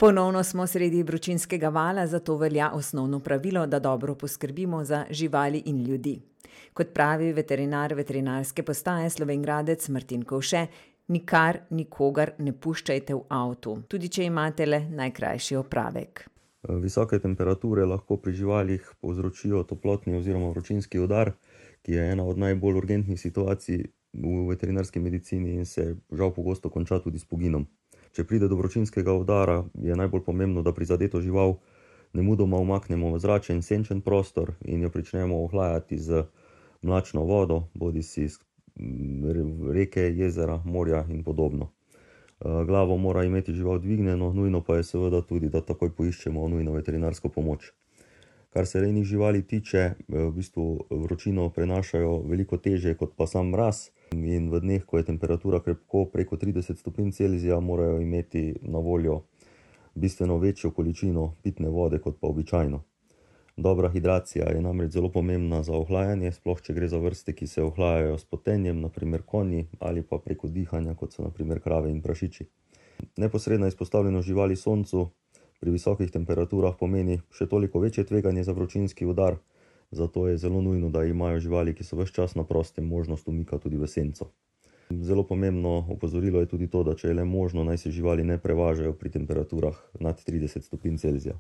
Ponovno smo sredi vročinskega vala, zato velja osnovno pravilo, da dobro poskrbimo za živali in ljudi. Kot pravi veterinar veterinarske postaje Slovenj Gradec Martin Kovše, nikar nikogar ne puščajte v avtu, tudi če imate le najkrajši opravek. Visoke temperature lahko pri živalih povzročijo toplotni oziroma vročinski udar, ki je ena od najbolj urgentnih situacij v veterinarski medicini in se žal pogosto konča tudi s poginom. Če pride do vročinskega udara, je najbolj pomembno, da prizadeto žival nemudoma umaknemo v zračen, senčen prostor in jo pričnemo ohlajati z mlačno vodo, bodisi iz reke, jezera, morja in podobno. Glavo mora imeti žival dvignjeno, nujno pa je seveda tudi, da takoj poiščemo nujno veterinarsko pomoč. Kar se rejnih živali tiče, v bistvu vročino prenašajo veliko težje kot pa sam mraz in v dneh, ko je temperatura krepko preko 30 stopinj Celzija, morajo imeti na voljo bistveno večjo količino pitne vode kot pa običajno. Dobra hidracija je namreč zelo pomembna za ohlajanje, sploh če gre za vrste, ki se ohlajajo s potenjem, naprimer konji, ali pa preko dihanja, kot so naprimer krave in prašiči. Neposredna izpostavljenost živali soncu pri visokih temperaturah pomeni še toliko večje tveganje za vročinski udar, zato je zelo nujno, da imajo živali, ki so ves čas na prostem, možnost umika tudi v senco. Zelo pomembno opozorilo je tudi to, da če je le možno, naj se živali ne prevažajo pri temperaturah nad 30 stopinj Celzija.